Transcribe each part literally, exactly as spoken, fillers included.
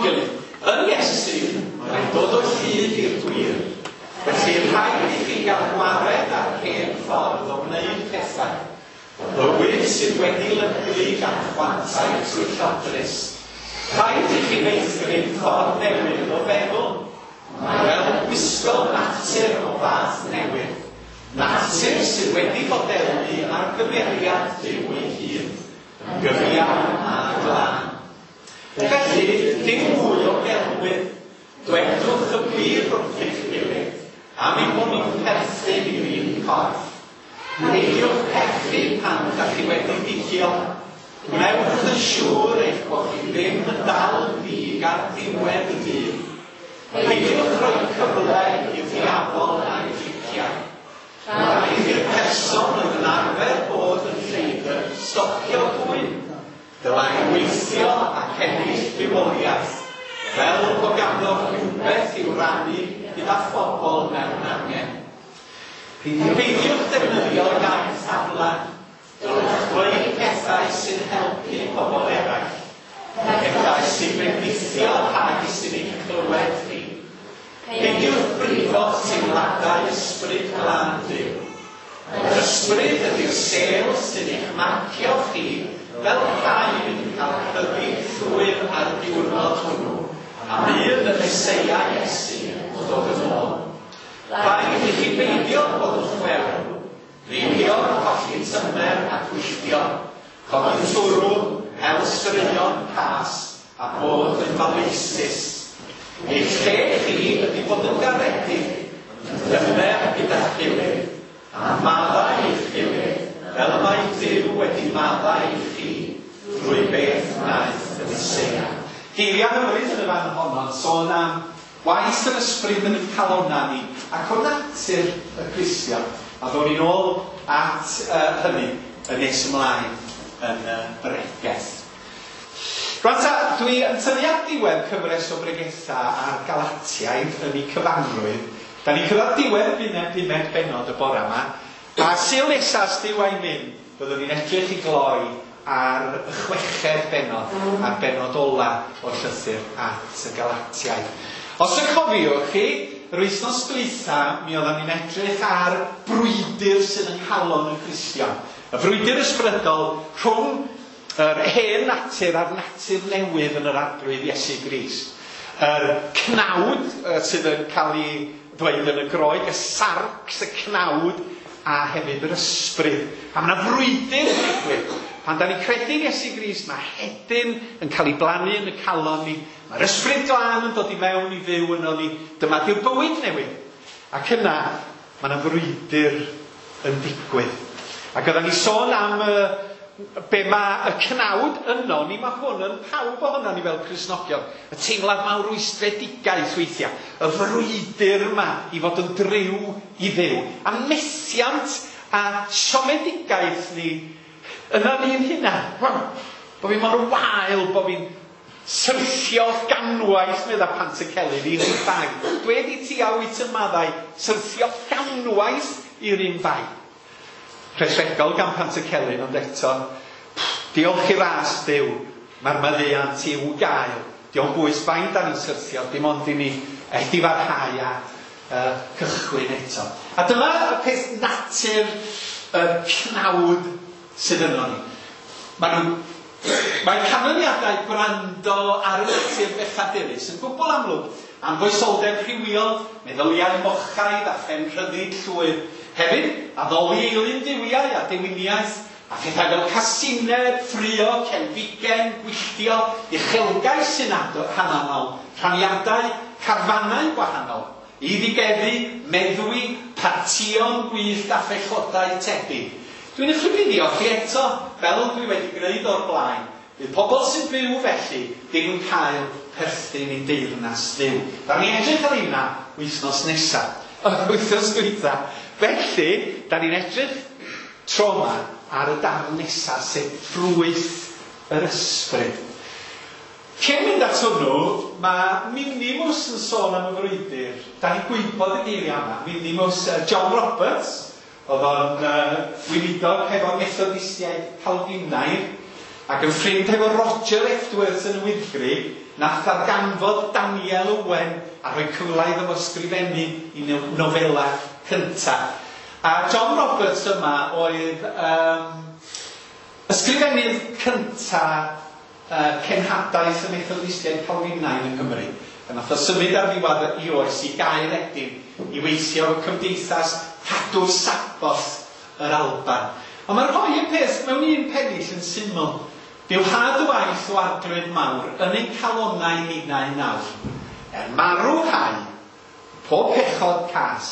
gilydd. Yn Iesu, mae'n dod o hyd i'r gwir. Felly rhaid i chi gael gwared ar hen ffordd o wneud pethau. Bywyd sydd wedi lygru gan chwantau twyllodrus. Rhaid i chi feithrin ffordd newydd o feddwl. Mae fel gwisgo natur o fath newydd. Natur sydd wedi fodelu ar gymeriad Duw ei hun, yn gyfiawn a glân. Felly, dim mwy o gelwydd, dwedwch y gwir wrth eich gilydd, am ein bod ni'n perthyn i'r un corff. Peidiwch pechu pan ydych chi wedi digio. Gwnewch yn siŵr eich bod chi ddim yn dal ddig ar ddiwedd y dydd. Peidiwch rhoi cyfle i'r diafol a'i driciau. Rhaid i'r person oedd yn arfer bod yn lleidr stopio dwyn. Dylai weithio ac ennill bywoliaeth, fel bod ganddo rhywbeth i'w rannu gyda phobl mewn angen. Peidiwch defnyddio iaith aflan. Dylwch ddweud pethau sy'n helpu pobl eraill. Pethau sy'n bendithio rhai sy'n eich clywed chi. Peidiwch brifo teimladau ysbryd glân Duw. Yr ysbryd ydy'r sêl sy'n eich marcio chi fel rhai fydd yn cael rhyddid llwyr ar y diwrnod hwnnw, a bydd y Meseia Iesu yn dod yn ôl. Rhaid i chi beidio bod yn chwerw, rhywio, colli tymer a gwylltio, codi twrw, hel straeon cas, a bod yn faleisus. Eich lle chi ydy bod yn garedig, yn dymer gyda'ch gilydd, a maddau eich gilydd, fel y mae Duw wedi maddau i chi drwy beth wnaeth y Meseia. Geiriau hyfryd yn y fan honno yn sôn am waith yr ysbryd yn ein calonnau ni ac o natur y Cristion. A ddown ni'n ôl at uh, hynny yn nes ymlaen yn y uh, bregeth. Rwan ta, dwi yn tynnu at diwedd cyfres o bregethau ar Galatiaid yn eu cyfanrwydd. Da ni'n cyrraedd diwedd y bumed bennod y bore yma. A Sul nesa, os Duw a'i myn, byddwn ni'n edrych i gloi ar y chweched bennod, a'r bennod ola o'r llythyr at y Galatiaid. Os y cofiwch chi, yr wythnos dwytha, mi oedden ni'n edrych ar brwydr sydd yng nghalon y Cristion. Y frwydr ysbrydol rhwng yr hen natur a'r natur newydd yn yr Arglwydd Iesu Grist. Yr cnawd sydd yn cael ei ddweud yn y Groeg, y sarx, y cnawd, a hefyd yr ysbryd. A mae yna frwydr yn digwydd. Pan da ni'n credu Iesu Grist, mae hedyn yn cael ei blannu yn y calon ni. Mae'r ysbryd glân yn dod i mewn i fyw yno ni. Dyma di'r bywyd newydd. Ac yna, mae yna frwydr yn digwydd. Ac oedden ni sôn am uh, be mae y cnawd yno ni, mae hwn yn pawb ohono ni fel Cristnogion. Y teimlad mawr rwystredigaeth weithiau. Y frwydr yma i fod yn driw i Dduw. A methiant a siomedigaeth ni yna ni'n hunan. Bo fi mor wael, bo fi'n syrthio ganwaith, medda Pantycelyn, i'r un bai. Dwed i ti a wyt yn maddau, syrthio ganwaith i'r un bai. Rhesregol gan Pantycelyn, ond eto, diolch i ras Duw, mae'r maddeuant i'w gael. Dio'm bwys faint da ni'n syrthio, dim ond i ni edifarhau a uh, cychwyn eto. A dyma y peth natur y cnawd sydd yno ni. Mae nhw, mae canlyniadau gwrando ar y natur bechadurus yn gwbl amlwg. Anfoesoldeb rhywiol, meddyliau mochaidd a phenrhyddid llwyr. Hefyd, addoli eilun duwiau a dewiniaeth, a phethau fel casineb, ffrio, cenfigen, gwylltio, uchelgais sy'n hananol, rhaniadau, carfanau gwahanol, eiddigeddu, meddwi, partïon gwyllt a phechodau tebyg. Dwi'n eich rhybuddio chi eto, fel dwi wedi gwneud o'r blaen, bydd pobl sy'n byw felly ddim yn cael perthyn i deyrnas Dduw. Da ni'n edrych ar hynna wythnos nesaf, wythnos dwytha. Felly, da ni'n edrych tro yma ar y darn nesaf, sef ffrwyth yr ysbryd. Cyn mynd at hwnnw, mae Minimus yn sôn am y frwydr. Da ni'n gwybod y geiriau yma. Minimus uh, John Roberts, oedd o'n uh, weinidog hefo Methodistiaid Calfinaidd. Ac yn ffrind hefo Roger Edwards yn y Wyddgrug, nath ddarganfod Daniel Owen a rhoi cyfle iddo fo sgrifennu i nofela cynta. A John Roberts yma oedd um, ysgrifennydd cynta uh, cenhadaeth y Methodistiaid Calfinaidd yng Nghymru. A nath o symud ar ddiwedd i oes i Gaeredin i weithio cymdeithas Cadw'r Saboth yr Alban. Ond mae rhoi y peth mewn un pennill yn syml. Dyw had y waith o Arglwydd mawr yn ein calonnau ninnau nawr. Er marw hau, pob pechod cas,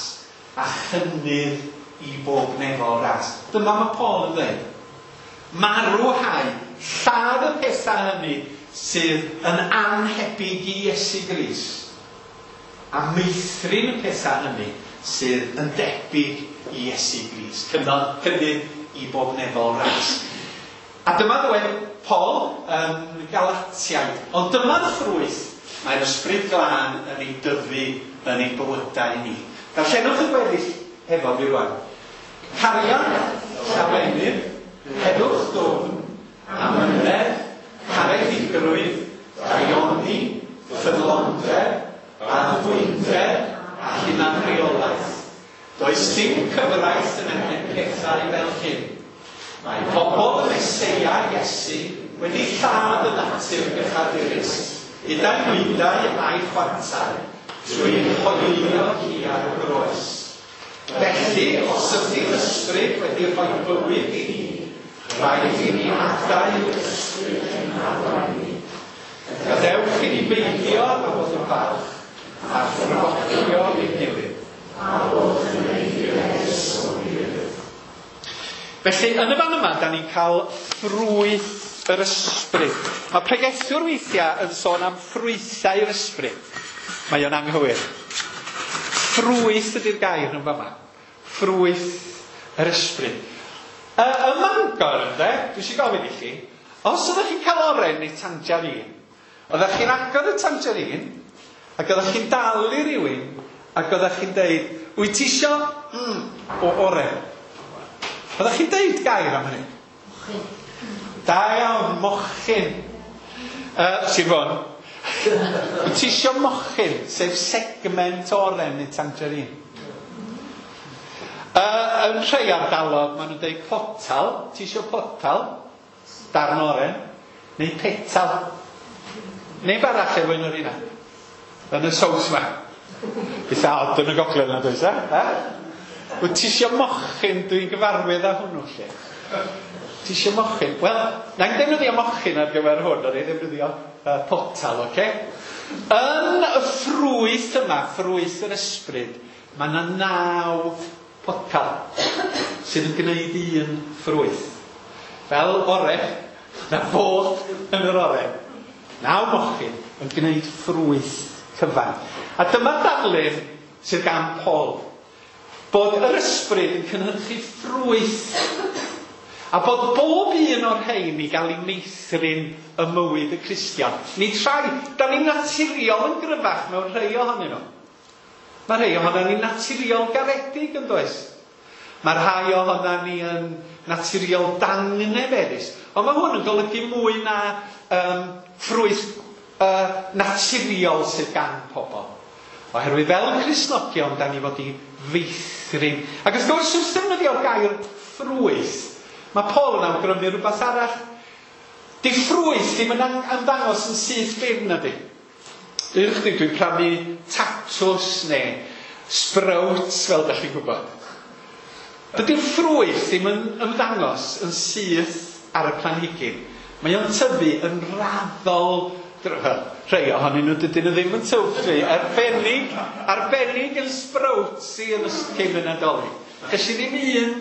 a chynnydd i bob nefol ras. Dyma mae Paul yn dweud. Marw hau, lladd y pethau hynny sydd yn anhebyg i Iesu Grist, a meithrin y pethau hynny sydd yn debyg i Iesu Grist. Cynnydd i bob nefol ras. A dyma ddweud Paul yn Galatiaid. Ond dyma'r ffrwyth mae'r Ysbryd Glân yn ei dyfu yn ei bywydau ni. Darllenwch y gweddill hefo fi rwan. Cariad, llawenydd, heddwch dwfn, amynedd, caredigrwydd, daioni, ffyddlondeb, addfwynder a hunanreolaeth. Does dim cyfraith yn erbyn pethau fel hyn. Mae pobl y Meseia Iesu wedi lladd y natur bechadurus, gyda'i nwydau a'i chwantau, trwy hoelio hi ar y groes. Felly, os ydy'r ysbryd wedi rhoi bywyd i ni, rhaid i ni adael yr ysbryd yn arwain ni. Gadewch i ni beidio â bod yn falch a phrofocio ein gilydd. A bod yn eiddus o'n gilydd. Felly, yn y fan yma, da ni'n cael ffrwyth yr ysbryd. Mae pregethwr weithiau yn sôn am ffrwythau'r ysbryd. Mae o'n anghywir. Ffrwyth ydy'r gair yn fama. Ffrwyth yr ysbryd. Y, y Mangor, ynde, dwi eisiau gofyn i chi, os ydych chi'n cael oren neu tangerine, oeddech chi'n agor y tangerine, ac oeddech chi'n dal i rywun, ac oeddech chi'n deud, wyt ti isio mm, o oren? Oeddech chi'n deud gair am hynny? Mochyn. Da iawn, mochyn. Uh, Sir Fôn. Wyt ti isio mochyn, sef segment oren neu tangerine? Uh, yn rhai ardalodd, maen nhw'n deud potal. Ti isio potal? Darn oren. Neu petal. Neu barach efo un o'r un. Yn y saws ma. Eitha od yn y gogledd yna, does e? Wyt ti isio mochyn? Dwi'n gyfarwydd â hwnnw lle. Ti isio mochyn? Wel, na'n defnyddio mochyn ar gyfer hwn, ond ei ddefnyddio uh, potal, oce? Okay? Yn y ffrwyth yma, ffrwyth yr ysbryd, mae yna naw potal sydd yn gwneud un ffrwyth. Fel oren, na fod yn yr oren. Naw mochyn yn gwneud ffrwyth cyfan. A dyma darlun sydd gan Paul. Bod yr ysbryd yn cynhyrchu ffrwyth. A bod bob un o'r rhain i gael ei meithrin y mywyd y Cristion. Nid rhai, da ni'n naturiol yn gryfach mewn rhai ohonyn nhw. Mae rhai ohonan ni'n naturiol garedig yn does? Mae rhai ohonan ni yn naturiol dangnefeddus. Ond mae hwn yn golygu mwy na um, ffrwyth uh, naturiol sydd gan pobl. Oherwydd fel Cristnogion, da ni fod i feithrin. Ac wrth gwrs, wrth ddefnyddio'r gair ffrwyth, mae Paul yn awgrymu rhywbeth arall. Di ffrwyth ddim yn ymddangos yn syth bin, ydy. Ych chdi, dwi'n prynu tatws neu sprouts, fel ydych chi'n gwybod. Dydy'r ffrwyth ddim yn ymddangos yn syth ar y planhigyn. Mae o'n tyfu yn raddol. Rhai ohonyn nhw dydyn nhw ddim yn tyfu. Arbennig, arbennig yn sprouts i yn cyn y Nadolig. Ges i ddim un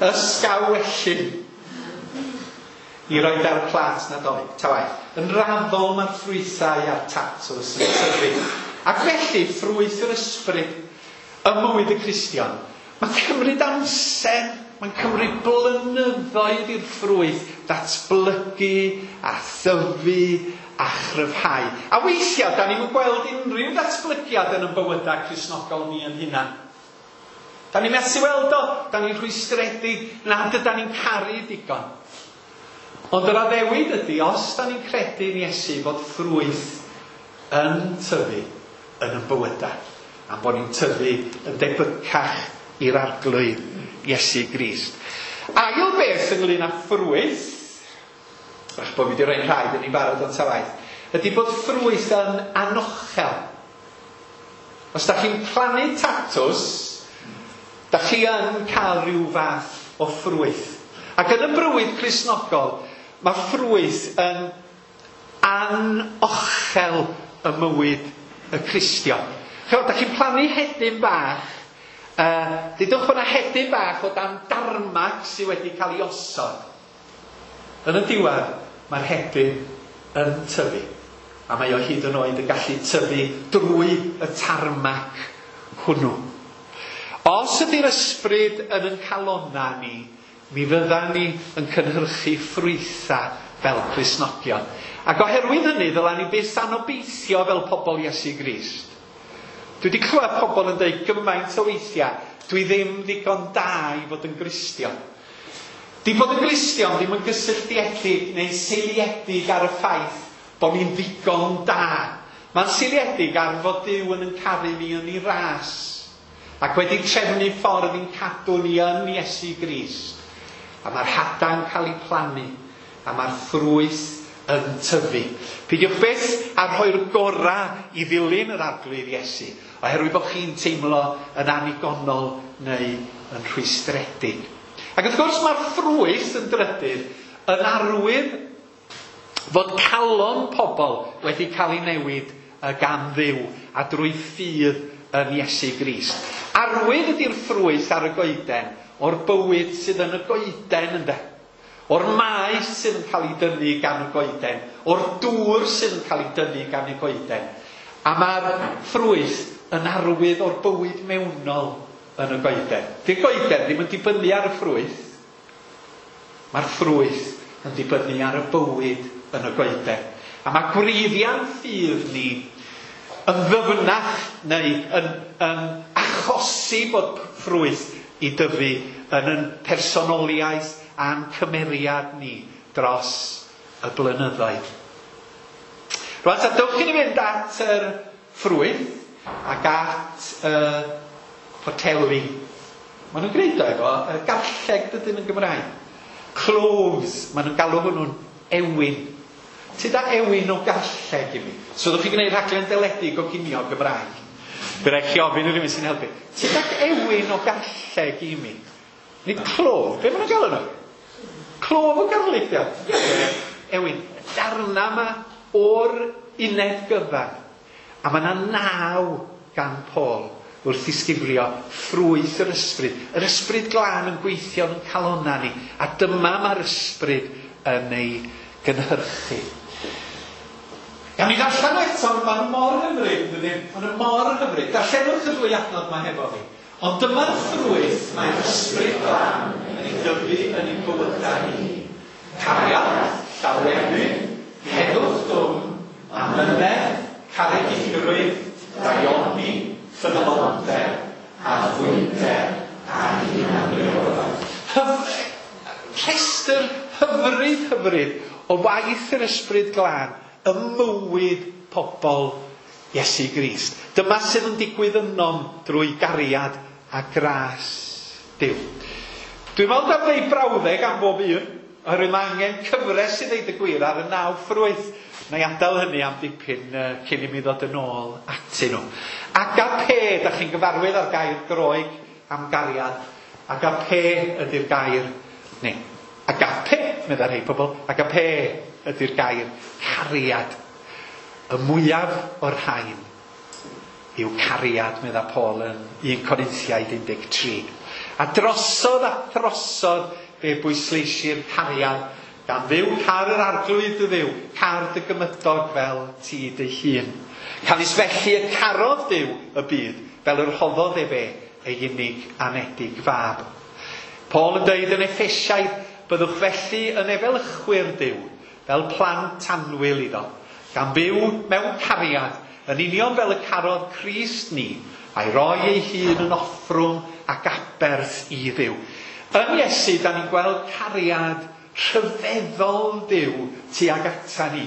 ysgawellyn i roed ar y plat Nadolig. Ta waeth. Yn raddol mae'r ffrwythau a'r tatws yn tyfu. Ac felly, ffrwyth yr ysbryd ym mywyd y Cristion, mae'n cymryd amser, mae'n cymryd blynyddoedd i'r ffrwyth ddatblygu a thyfu a chryfhau. A weithiau, da ni'n gweld unrhyw ddatblygiad yn ein bywydau Cristnogol ni yn hunan. Da ni'n methu weld o, da ni'n rhwystredig nad ydan ni'n caru digon. Ond yr addewid ydy, os da ni'n credu yn Iesu fod ffrwyth yn tyfu yn ein bywydau, a bod ni'n tyfu yn debycach i'r Arglwydd Iesu Grist. Ail beth ynglyn â ffrwyth, ach bod fi wedi rhoi'n rhaid yn ei barod o'n tawaith, ydy bod ffrwyth yn anochel. Os da chi'n plannu tatws, da chi yn cael rhyw fath o ffrwyth. Ac yn y bywyd Cristnogol, mae ffrwyth yn anochel y mywyd y Cristion. Chymod, da chi'n plannu hedyn bach, uh, dudwch bod yna hedyn bach o dan darmac sydd wedi cael ei osod. Yn y diwedd, mae'r hedyn yn tyfu. A mae o hyd yn oed yn gallu tyfu drwy y tarmac hwnnw. Os ydy'r ysbryd yn yn calonna ni, mi fyddan ni yn cynhyrchu ffrwythau fel Cristnogion. Ac oherwydd hynny, ddylan ni byth anobeithio fel pobl Iesu Grist. Dwi wedi clywed pobl yn dweud gymaint o weithiau, dwi ddim ddigon da i fod yn Gristion. Di bod yn Gristion ddim yn gysylltiedig neu seiliedig ar y ffaith bod ni'n ddigon da. Mae'n seiliedig ar fod Duw yn yn caru ni yn ei ras ac wedi trefnu ffordd i'n cadw ni yn Iesu Grist. A mae'r hada'n cael ei plannu a mae'r ffrwyth yn tyfu. Peidiwch byth â rhoi'r gorau i ddilyn yr Arglwydd Iesu, oherwydd bod chi'n teimlo yn annigonol neu yn rhwystredig. Ac wrth gwrs mae'r ffrwyth yn drydydd yn arwydd fod calon pobl wedi cael ei newid gan Dduw a drwy ffydd yn Iesu Grist. Arwydd ydy'r ffrwyth ar y goeden o'r bywyd sydd yn y goeden, ynde? O'r maes sydd yn cael ei dynnu gan y goeden, o'r dŵr sydd yn cael ei dynnu gan y goeden. A mae'r ffrwyth yn arwydd o'r bywyd mewnol yn y goeden. Di'r goeden ddim yn dibynnu ar y ffrwyth. Mae'r ffrwyth yn dibynnu ar y bywyd yn y goeden. A mae gwreiddiau'n ffydd ni yn ddyfnach neu yn, yn achosi bod ffrwyth i dyfu yn yn personoliaeth a'n cymeriad ni dros y blynyddoedd. Rwan, ta dewch i ni fynd at yr ffrwyth ac at y poteli. Maen nhw'n gwneud o efo y garlleg dydyn yn Gymraeg. Cloves, maen nhw'n galw hwnnw'n ewin. Ti da ewin o garlleg i mi? So ddwch chi gwneud rhaglen deledu goginio Gymraeg. Bydd rhaid chi ofyn i rhywun sy'n helpu. Ti da ewin o garlleg i mi? Nid clof, be maen nhw'n galw nhw? Clof o garlleg, dio. Ewin, darna yma o'r uned gyfan. A mae yna naw gan Paul wrth ddisgrifio ffrwyth yr ysbryd. Yr ysbryd glân yn gweithio yn calonna ni. A dyma mae'r ysbryd yn ei gynhyrchu. Gawn ni ddarllen eto, maen nhw mor hyfryd, dydyn? Maen nhw mor hyfryd. Darllenwch y ddwy adnod yma hefo fi. Ond dyma'r ffrwyth mae'r ysbryd glân yn ei dyfu yn ei bywydau ni. Cariad, llawenydd, heddwch dwfn, amynedd, caredigrwydd, daioni, ffyddlondeb, addfwynder a hunanreolaeth. Rhestr hyfryd hyfryd o waith yr ysbryd glân ym mywyd pobl Iesu Grist. Dyma sydd yn digwydd ynom drwy gariad a gras Duw. Dwi'n meddwl am ddeud brawddeg am bob un, oherwydd mae angen cyfres i ddeud y gwir ar y naw ffrwyth. Na i adael hynny am dipyn uh, cyn i mi ddod yn ôl atyn nhw. Agape, da chi'n gyfarwydd â'r gair Groeg am gariad. Agape ydy'r gair, neu agape, meddai rhai pobl, agape ydy'r gair cariad. Y mwyaf o'r rhain yw cariad, medda Paul yn un Corinthiaid un deg tri. A drosodd a throsodd fe bwysleisir cariad gan Dduw, car yr Arglwydd dy Dduw, car dy gymydog fel ti dy hun. Canys felly y carodd Duw y byd, fel yr rhoddodd efe ei unig anedig fab. Paul yn dweud yn Effesiaid, byddwch felly yn efelychwyr Duw, fel plant annwyl iddo, gan fyw mewn cariad, yn union fel y carodd Crist ni, a'i roi ei hun yn offrwm ac aberth i Dduw. Yn Iesu, da ni'n gweld cariad rhyfeddol Duw tuag ata ni.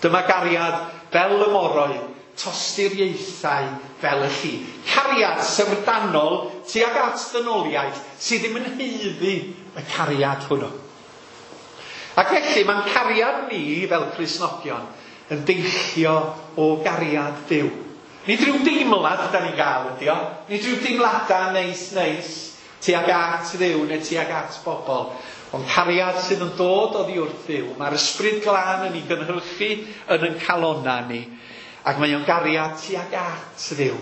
Dyma gariad fel y moroedd, tosturiaethau fel y lli. Cariad syfrdanol tuag at ddynoliaeth sydd ddim yn haeddu y cariad hwnnw. Ac felly mae'n cariad ni fel Cristnogion yn deillio o gariad Duw. Nid rhyw deimlad da ni'n gael ydi o. Nid rhyw deimladau neis neis tuag at Dduw neu tuag at bobl. Ond cariad sydd yn dod oddi wrth Dduw. Mae'r Ysbryd Glân yn ei gynhyrchu yn ein calonna ni. Ac mae o'n gariad tuag at Dduw.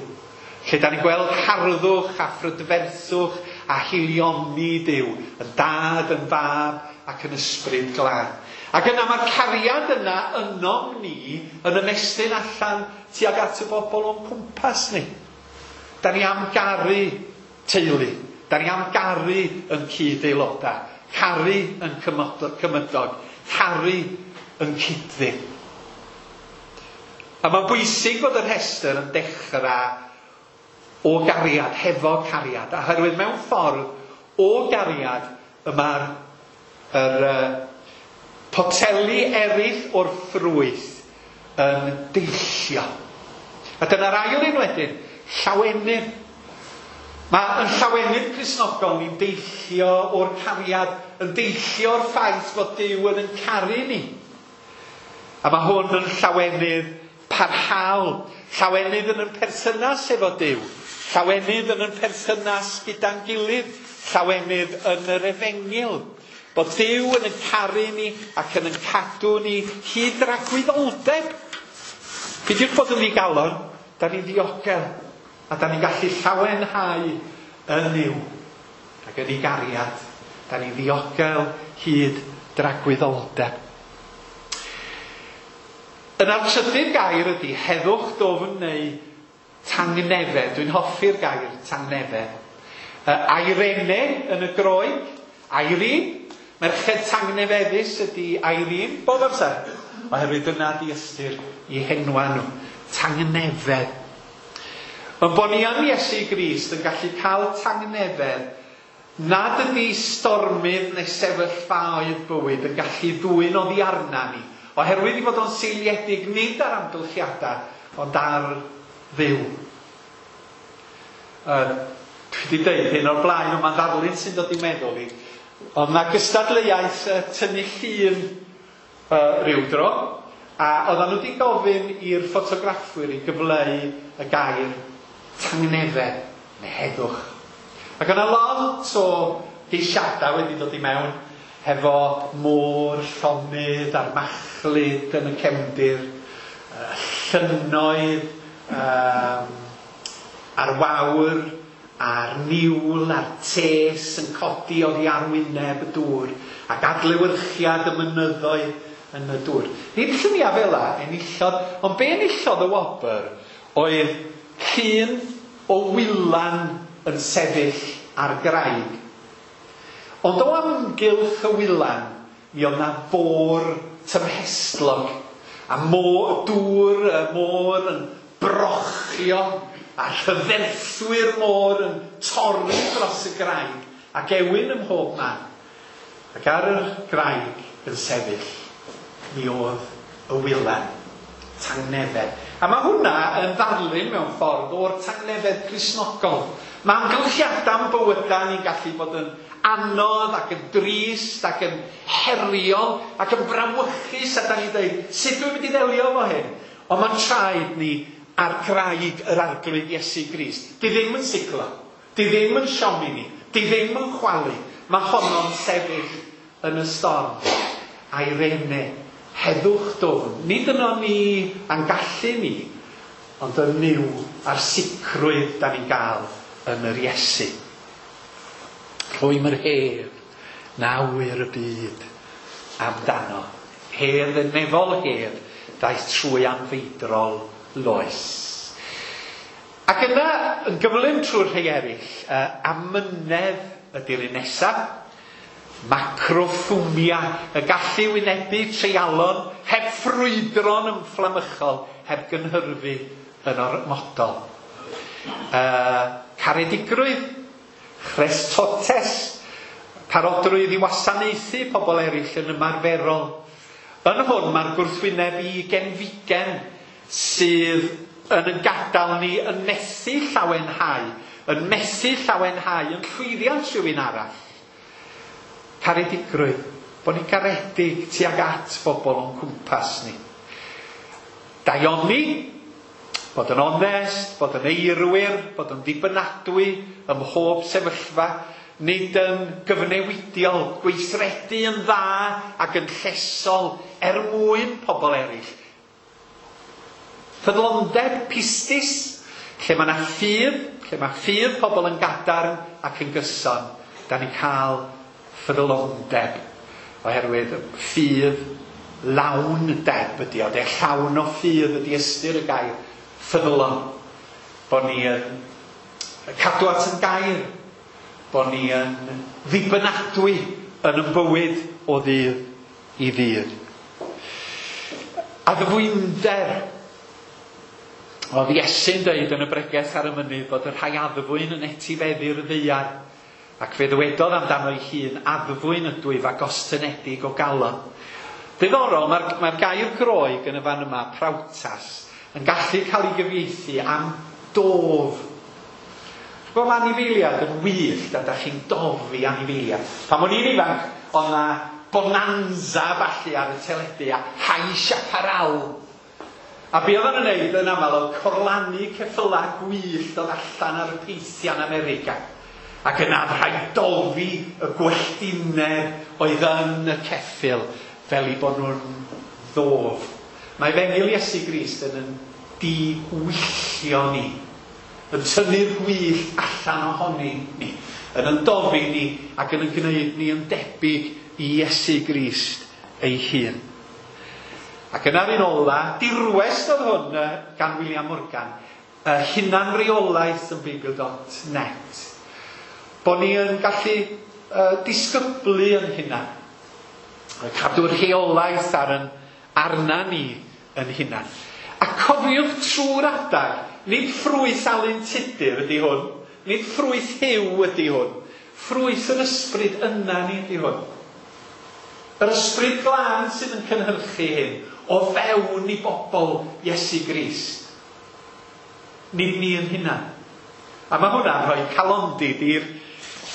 Lle da ni'n gweld harddwch a phrydferthwch a haelioni Duw. Yn Dad, yn Fab ac yn Ysbryd Glân. Ac yna mae'r cariad yna ynom ni yn ymestyn allan tuag at y bobl o'n cwmpas ni. Da ni am garu teulu. Da ni am garu yn cyd-aelodau. Caru yn cymydog. Caru yn cyd-ddyn. A mae'n bwysig bod y rhestr yn dechrau o gariad, hefo cariad. Oherwydd mewn ffordd o gariad y mae'r yr, uh, poteli eraill o'r ffrwyth yn deillio. A dyna'r ail un wedyn, llawenydd. Mae yn llawenydd Cristnogol ni'n deillio o'r cariad, yn deillio o'r ffaith fod Duw yn yn caru ni. A mae hwn yn llawenydd parhaol. Llawenydd yn yn perthynas efo Duw. Llawenydd yn yn perthynas gyda'n gilydd. Llawenydd yn yr efengyl. Bod Duw yn yn caru ni ac yn yn cadw ni hyd dragwyddoldeb. Peidiwch bod yn ddigalon, da ni'n ddiogel. A da ni'n gallu llawenhau yn Nuw ac yn ei gariad. Da ni'n ddiogel hyd dragwyddoldeb. Yna'r trydydd gair ydy heddwch dwfn neu tangnefedd. Dwi'n hoffi'r gair tangnefedd. Eirene yn y Groeg, Irene. Merched tangnefeddus ydy Irene bob amser. Oherwydd dyna di ystyr i henwa nhw. Tangnefedd. Ond bod ni yn Iesu Grist yn gallu cael tangnefedd nad ydy stormydd neu sefyllfaoedd bywyd yn gallu ddwyn oddi arna ni. Oherwydd i fod o'n seiliedig nid ar amgylchiadau, ond ar Dduw. Uh, dwi wedi dweud hyn o'r blaen, ond mae'n ddarlun sy'n dod i meddwl i. Ond mae gystadleuaeth uh, tynnu llun uh, ryw dro, a oedden nhw wedi gofyn i'r ffotograffwyr i gyfleu y gair tangnefedd neu heddwch. Ac yna lot o geisiadau wedi dod i mewn hefo môr llonydd a'r machlud yn y cefndir, llynnoedd, um, a'r wawr, a'r niwl, a'r tes yn codi oddi ar wyneb y dŵr, ac adlewyrchiad y mynyddoedd yn y dŵr. Nid lluniau fel 'na enillodd, ond be enillodd y wobr oedd llun o wylan yn sefyll ar graig. Ond o amgylch y wylan, mi oedd na fôr tymhestlog, a môr, dŵr y môr yn brochio, a rhyferthwy'r môr yn torri dros y graig, ac ewyn ym mhob man. Ac ar y graig yn sefyll, mi oedd y wylan, tangnefedd. A mae hwnna yn ddarlun mewn ffordd o'r tangnefedd Cristnogol. Mae amgylchiadau'n bywydau ni'n gallu bod yn anodd ac yn drist ac yn heriol ac yn brawychus, a da ni'n dweud, sut dwi'n mynd i ddelio efo hyn? Ond mae'n traed ni ar graig yr Arglwydd Iesu Grist. Di ddim yn siglo, di ddim yn siomi ni, di ddim yn chwalu. Mae honno'n sefyll yn y storm. Eirene, heddwch dwfn. Nid yno ni a'n gallu ni, ond yn Nuw a'r sicrwydd da ni'n gael yn yr Iesu. Rhwym yr hedd, nawyr y byd amdano. Hedd yn nefol hedd, ddaeth trwy anfeidrol loes. Ac yna, yn gyflym trwy'r rhai eraill, uh, amynedd ydy'r un nesaf. Macrothumia, y gallu wynebu treialon, heb ffrwydron ymfflamychol, heb gynhyrfu yn ormodol. Uh, caredigrwydd, chrestotes, Parodrwydd i wasanaethu pobl eraill yn ymarferol. Yn hwn mae'r gwrthwyneb i genfigen sydd yn yn gadael ni yn methu llawenhau, yn methu llawenhau yn llwyddiant rhywun arall. Caredigrwydd, bod ni'n garedig tuag at bobl o'n cwmpas ni. Daioni, bod yn onest, bod yn eirwyr, bod yn ddibynadwy ym mhob sefyllfa, nid yn gyfnewidiol, gweithredu yn dda ac yn llesol er mwyn pobl eraill. Ffyddlondeb, pistis, lle mae yna ffydd, lle mae ffydd pobl yn gadarn ac yn gyson, da ni'n cael ffyddlondeb, oherwydd ffydd lawn deb ydi o, de llawn o ffydd ydi ystyr y gair ffyddlon, bod ni yn cadw at yn gair, bod ni yn ddibynadwy yn yn bywyd o ddydd i ddydd. Addfwynder. Oedd Iesu'n dweud yn y bregeth ar y mynydd bod y rhai addfwyn yn etifeddu'r ddaear, ac fe ddywedodd amdano ei hun, addfwyn ydw i a gostynedig o galon. Diddorol, mae'r mae gair Groeg yn y fan yma, prawtas, yn gallu cael ei gyfieithu am dof. Gwybod, mae anifeiliad yn wyllt a da chi'n dofi anifeiliad. Pan o'n i'n ifanc, oedd 'na bonanza falle ar y teledu a High Chaparral. A be oedden nhw'n neud yn aml oedd corlannu ceffylau gwyllt oedd allan ar y peithian America. Ac yna rhaid dofi y gwelltineb oedd yn y ceffyl fel i bod nhw'n ddof. Mae Efengyl Iesu Grist yn yn diwyllio ni, yn tynnu'r gwyllt allan ohoni ni, yn yn dofi ni ac yn yn gwneud ni yn debyg i Iesu Grist ei hun. Ac yna'r un ola, dirwest oedd hwn gan William Morgan, uh, hunanreolaeth yn Beibl dot net. Bod ni yn gallu uh, disgyblu yn hunan, cadw'r rheolaeth ar yn, arna ni yn hunan. A cofiwch trwy'r adag, nid ffrwyth Alun Tudur ydy hwn, nid ffrwyth Huw ydy hwn, ffrwyth yr ysbryd yna ni ydy hwn. Yr ysbryd glân sydd yn cynhyrchu hyn o fewn i bobl Iesu Grist. Nid ni yn hunan. A mae hwnna'n rhoi calondid i'r,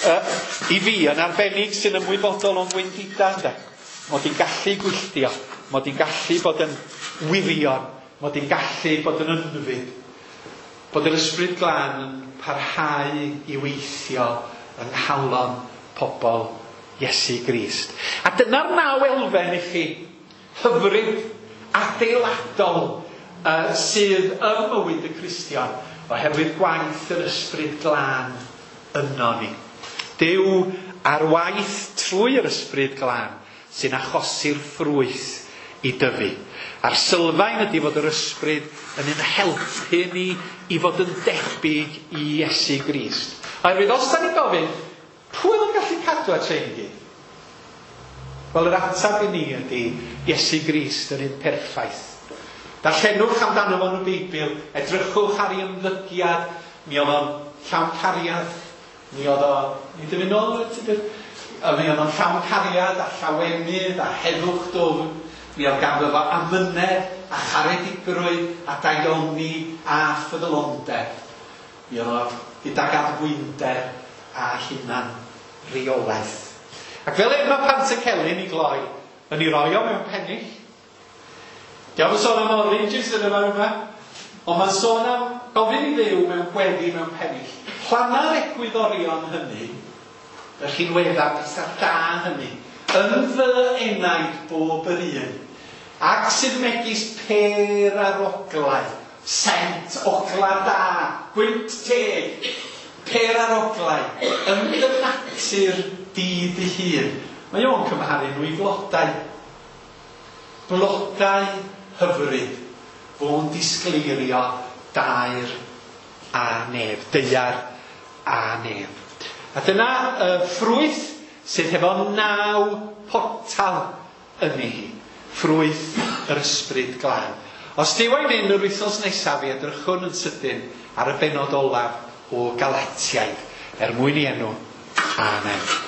uh, i fi yn arbennig sy'n ymwybodol o'n gwendidau, ynde. Mod i'n gallu gwylltio, mod i'n gallu bod yn wirion, mod i'n gallu bod yn ynfyd. Bod yr ysbryd glân yn parhau i weithio yng nghalon pobl Iesu Grist. A dyna'r naw elfen i chi, hyfryd, adeiladol, uh, sydd ym mywyd y Cristion, oherwydd gwaith yr ysbryd glân yno ni. Duw ar waith trwy yr ysbryd glân sy'n achosi'r ffrwyth i dyfu. A'r sylfaen ydy fod yr ysbryd yn ein helpu ni i fod yn debyg i Iesu Grist. Oherwydd os da ni'n gofyn, pwy oedd yn gallu cadw at rhain i gyd? Wel, yr ateb i ni ydy Iesu Grist yr un perffaith. Darllenwch amdano fo yn y Beibl, edrychwch ar ei ymddygiad, mi oedd o'n llawn cariad, mi oedd o, ni ddim yn ôl, mi oedd o'n llawn cariad a llawenydd a heddwch dwfn, mi oedd ganddo fo amynedd a charedigrwydd a daioni a ffyddlondeb. Mi oedd o gydag addfwynder a hunan reolaeth. Ac fel un mae Pantycelyn i gloi, yn ei roi o mewn pennill. Diolch yn sôn am oranges yn y fan yma, ond mae'n sôn am gofyn i Dduw mewn gweddi mewn pennill. Planna'r egwyddorion hynny, y rhinweddau pethau da hynny, yn fy enaid bob yr un, ac sydd megis pêr ar oglau, sent ogla da, gwynt teg, pêr ar oglau, yn dy natur di dy hun. Mae o'n cymharu nhw i flodau. Blodau hyfryd, fo'n disgleirio dair a nef, daear a nef. A dyna uh, ffrwyth sydd hefo naw portal yn ei hi. Ffrwyth yr ysbryd glân. Os Duw a'i mynd yr wythnos nesaf, i edrychwn yn sydyn ar y bennod olaf o Galatiaid, er mwyn i enw. Amen.